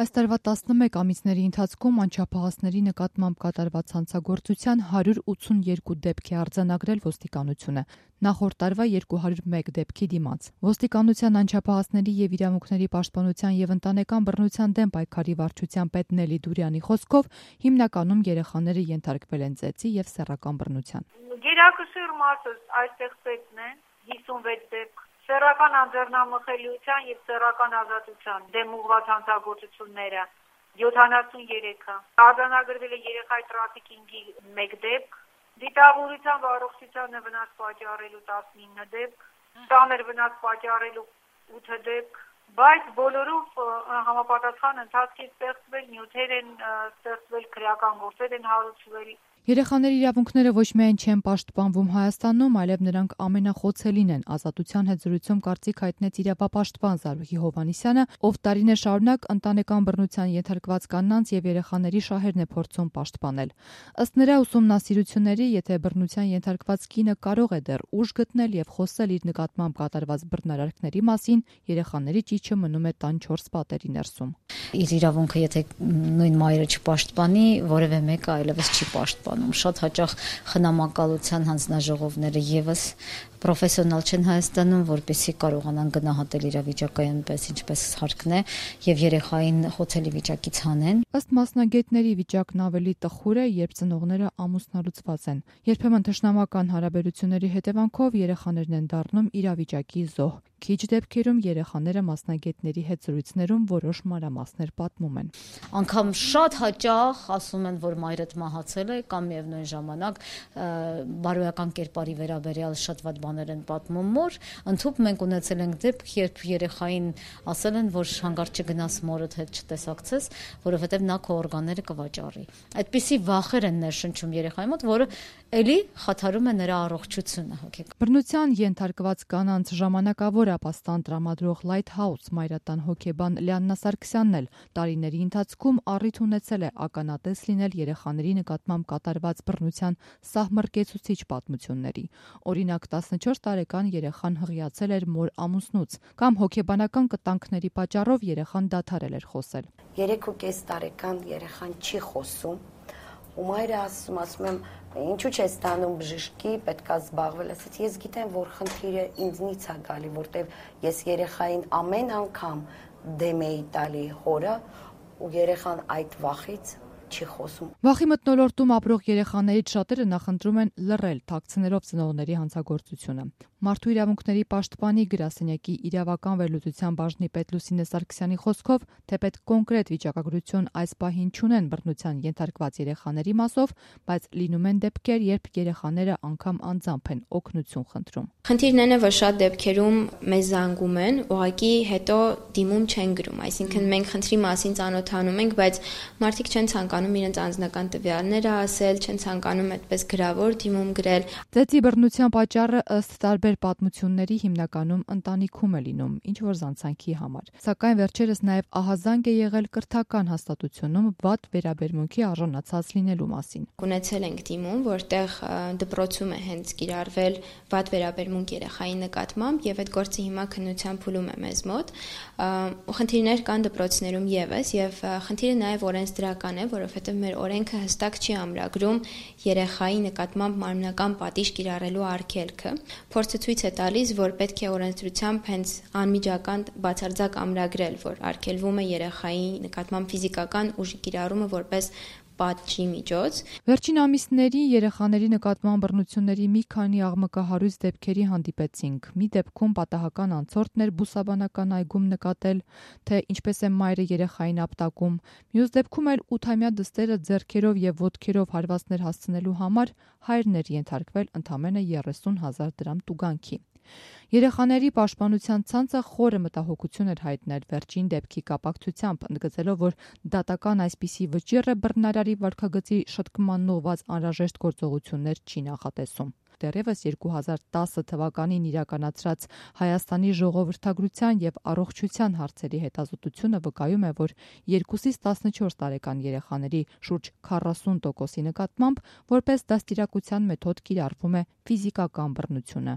Այս տարվա 11 ամիսների ընթացքում անչափահասների նկատմամբ կատարված հանցագործության 182 դեպք է արձանագրել ոստիկանությունը, նախորդ տարվա 201 դեպքի դիմաց։ Ոստիկանության անչափահասների և իրավունքների պաշտպանության և ընտանեկան բռնության դեմ պայքարի վարչության պետ Նելի Դուրյանի խոսքով հիմնականում երեխաները ենթարկվել են ծեծի և սեռական բռնության։ Գերակշիռ մասը այստեղ ծեծն են, 56 դեպք, սեռական անձեռնամխելիության և սեռական ազատության դեմ ուղղված հանցագործությունները 73-ը, արձանագրվել է երեխայի տրաֆիքինգի 1 դեպք, դիտավորության ու առողջությանը վնաս պատճառելու 19 դեպք, ծանր վնաս պատճառելու 8 դեպք, բայց բոլորով համապատասխան ընթացքի ստեղծվել նյութեր են ստեղծվել, քրեական գործեր են հարուցվել։ Երեխաների իրավունքները ոչ միայն չեն պաշտպանվում Հայաստանում, այլև նրանք ամենախոցելին են, Ազատության հետ զրույցում կարծիք հայտնեց իրավապաշտպան Զարուհի Հովհաննիսյանը, ով տարիներ շարունակ ընտանեկան բռնության ենթարկված կանանց և երեխաների շահերն է փորձում պաշտպանել։ Ըստ նրա ուսումնասիրությունների, եթե բռնության ենթարկված կինը կարող է դեռ ուժ գտնել և խոսել իր նկատմամբ կատարված բռնարարքների մասին, երեխաների ճիչը մնում է տան 4 պատերի ներսում։ Իր իրավունքը եթե նույն մայրը չպաշտպանի, որևէ մեկը այլևս չի պաշտպանում։ Շատ հաճախ խնամակալության հանձնաժողովները եւս պրոֆեսիոնալ չեն Հայաստանում, որպեսզի կարողանան գնահատել իրավիճակը այնպես, ինչպես հարկն է, եւ երեխային խոցելի վիճակից հանեն։ Ըստ մասնագետների վիճակն ավելի տխուր է, երբ ծնողները ամուսնալուծված են։ Երբեմն թշնամական հարաբերությունների հետևանքով երեխաներն են դառնում իրավիճակի զոհ։ Քիչ դեպքերում երեխաները մասնագետների հետ զրույցներում որոշ մանրամասներ պատմում են։ Անկամ շատ հաճախ ասում են, որ մայրդ մահացել է կամ միևնույն ժամանակ բարոյական կերպարի վերաբերյալ շատ վատ բաներ են պատմում մոր, ընդհանուր մենք ունեցել ենք դեպք, երբ երեխային ասել են, որ հանգարտ չգնաս մորդ հետ չտեսակցես, որովհետև նա քո օրգանները կվաճառի։ Այդպիսի վախեր են ներշնչում երեխայի մոտ, որը էլի խաթարում է նրա առողջությունը հոգեկան։ Բռնության ենթարկված կանանց ժամանակավոր ապաստան տրամադրող Lighthouse մայրատան հոգեբան Լիաննա Սարգսյանն էլ տարիների ընթացքում առիթ ունեցել է ականատես լինել երեխաների նկատմամբ կատարված բռնության սահմռկեցուցիչ պատմությունների։ Օրինակ 14 տարեկան երեխան հղիացել էր մոր ամուսնուց կամ հոգեբանական կտանքների պատճառով երեխան դադարել էր խոսել։ 3.5 տարեկան երեխան չի խոսում ու մայրը ասում եմ ինչու՞ չես ստանում բժշկի, պետքա զբաղվել, ասած ես գիտեմ, որ խնդիրը ինձնից է գալի, որտեվ ես երեխային ամեն անգամ դեմ էի տալի հորը ու երեխան այդ վախից չի խոսում։ Վախի մթնոլորտում ապրող երեխաներից շատերը նախընտրում են լռել, թաքցնելով ծնողների հանցագործությունը։ Մարդու իրավունքների պաշտպանի գրասենյակի իրավական վերլուծության բաժնի պետ Լուսինե Սարգսյանի խոսքով, թեպետ կոնկրետ վիճակագրություն այս պահին չունեն բռնության ենթարկված երեխաների մասով, բայց լինում են դեպքեր, երբ երեխաները անգամ անձամբ են օգնություն խնդրում։ Խնդիրն այն է, որ շատ դեպքերում մեզ զանգում են, ուղղակի հետո դիմում չեն գրում, այսինքն մենք խնդրի մասին ծանոթանում ենք, բայց մարդիկ չեն ցանկանում իրենց անձնական տվյալները ասել, չեն ցանկանում այդպես գրավոր դիմում գրել։ Ծեծի բռնության պատճառը ըստ տարբեր պատմությունների հիմնականում ընտանիքում է լինում, ինչ որ զանցանքի համար։ Սակայն վերջերս նաև ահազանգ է եղել կրթական հաստատությունում վատ վերաբերմունքի արժանացած լինելու մասին։ Ունեցել ենք դիմում, որտեղ դպրոցում է հենց կիրառվել վատ վերաբերմունք երեխայի նկատմամբ եւ այդ գործը հիմա քննության փուլում է մեզ մոտ։ Խնդիրներ կան դպրոցներում եւս եւ խնդիրը նաեւ օրենսդրական է, որովհետեւ մեր օրենքը հստակ չի ամրագրում երեխայի նկատմամբ մարմնական պատիժ կիրառելու արգելքը։ Փորձը ցույց է տալիս, որ պետք է օրենսդրությամբ հենց անմիջական բացարձակ ամրագրել, որ արգելվում է երեխայի նկատմամբ ֆիզիկական ուժի կիրառումը որպես պատժի միջոց։ Վերջին ամիսների երեխաների նկատմամբ բռնությունների մի քանի աղմկահարույց դեպքերի հանդիպեցինք։ Մի դեպքում պատահական անցորդն էր բուսաբանական այգում նկատել, թե ինչպես է մայրը երեխային ապտակում։ Մյուս դեպքում էլ 8-ամյա դստերը ձեռքերով եւ ոտքերով հարվածներ հասցնելու համար հայրն էր ենթարկվել ընդամենը 30,000 դրամ տուգանքի։ Երեխաների պաշտպանության ցանցը խորը մտահոգություն էր հայտնել վերջին դեպքի կապակցությամբ, ընդգծելով, որ դատական այսպիսի վճիռը բռնարարի վարքագծի շտկման ուղղված անհրաժեշտ գործողություններ չի նախատեսում։ դեռևս 2010 թվականին իրականացրած Հայաստանի ժողովրդագրության եւ առողջության հարցերի հետազոտությունը վկայում է, որ 2-ից 14 տարեկան երեխաների շուրջ 40%-ի նկատմամբ որպես դաստիարակության մեթոդ կիրառվում է ֆիզիկական բռնությունը։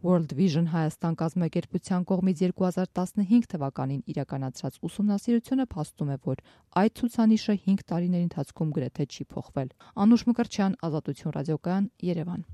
World Vision Հայաստան կազմակերպության կողմից 2015 թվականին իրականացրած ուսումնասիրությունը փաստում է, որ այդ ցուցանիշը 5 տարիների ընթացքում գրեթե չի փոխվել։ Անուշ Մկրտչյան, Ազատություն ռադիոկայան, Երևան։